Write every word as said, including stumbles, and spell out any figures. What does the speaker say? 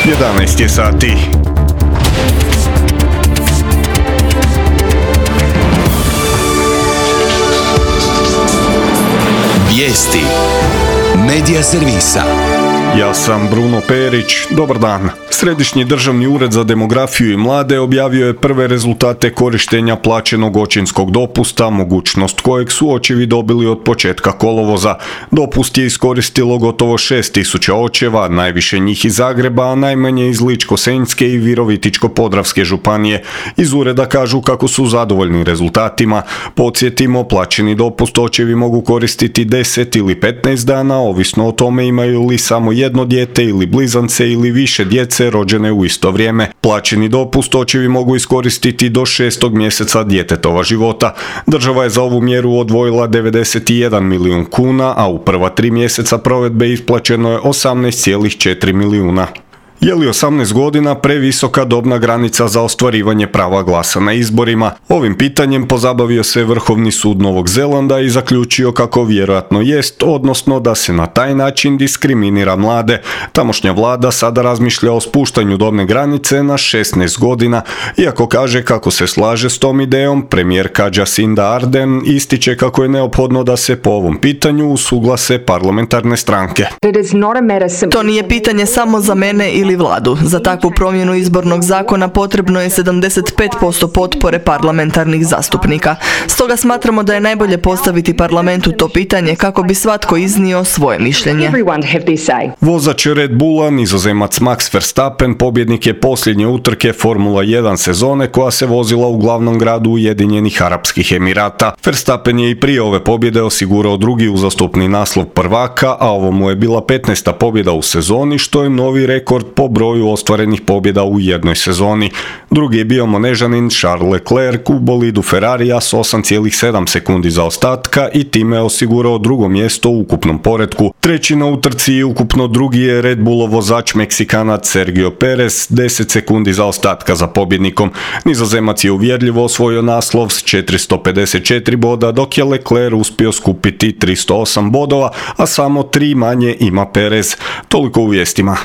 jedanaest je sati. Vijesti Medija servisa. Ja sam Bruno Perić, dobar dan. Središnji državni ured za demografiju i mlade objavio je prve rezultate korištenja plaćenog očinskog dopusta, mogućnost kojeg su očevi dobili od početka kolovoza. Dopust je iskoristilo gotovo šest tisuća očeva, najviše njih iz Zagreba, a najmanje iz Ličko-senjske i Virovitičko-podravske županije. Iz ureda kažu kako su zadovoljni rezultatima. Podsjetimo, plaćeni dopust očevi mogu koristiti deset ili petnaest dana, ovisno o tome imaju li samo jedno dijete ili blizance ili više djece rođene u isto vrijeme. Plaćeni dopust očevi mogu iskoristiti do šestog mjeseca djetetova života. Država je za ovu mjeru odvojila devedeset jedan milijun kuna, a u prva tri mjeseca provedbe isplaćeno je osamnaest zarez četiri milijuna. Je li osamnaest godina previsoka dobna granica za ostvarivanje prava glasa na izborima? Ovim pitanjem pozabavio se Vrhovni sud Novog Zelanda i zaključio kako vjerojatno jest, odnosno da se na taj način diskriminira mlade. Tamošnja vlada sada razmišlja o spuštanju dobne granice na šesnaest godina. Iako kaže kako se slaže s tom idejom, premijerka Jacinda Ardern ističe kako je neophodno da se po ovom pitanju usuglase parlamentarne stranke. To nije pitanje samo za mene ili vladu. Za takvu promjenu izbornog zakona potrebno je sedamdeset pet posto potpore parlamentarnih zastupnika. Stoga smatramo da je najbolje postaviti parlamentu to pitanje kako bi svatko iznio svoje mišljenje. Vozač Red Bulla, Nizozemac Max Verstappen, pobjednik je posljednje utrke Formula jedan sezone koja se vozila u glavnom gradu Ujedinjenih Arapskih Emirata. Verstappen je i prije ove pobjede osigurao drugi uzastopni naslov prvaka, a ovo mu je bila petnaesta pobjeda u sezoni, što je novi rekord po broju ostvarenih pobjeda u jednoj sezoni. Drugi je bio Monežanin Charles Leclerc u bolidu Ferrarija s osam zarez sedam sekundi zaostatka i time je osigurao drugo mjesto u ukupnom poretku. Treći na utrci i ukupno drugi je Red Bullov vozač Meksikanac Sergio Perez, deset sekundi zaostatka za pobjednikom. Nizozemac je uvjerljivo osvojio naslov s četiristo pedeset četiri boda, dok je Leclerc uspio skupiti tristo osam bodova, a samo tri manje ima Perez. Toliko u vijestima.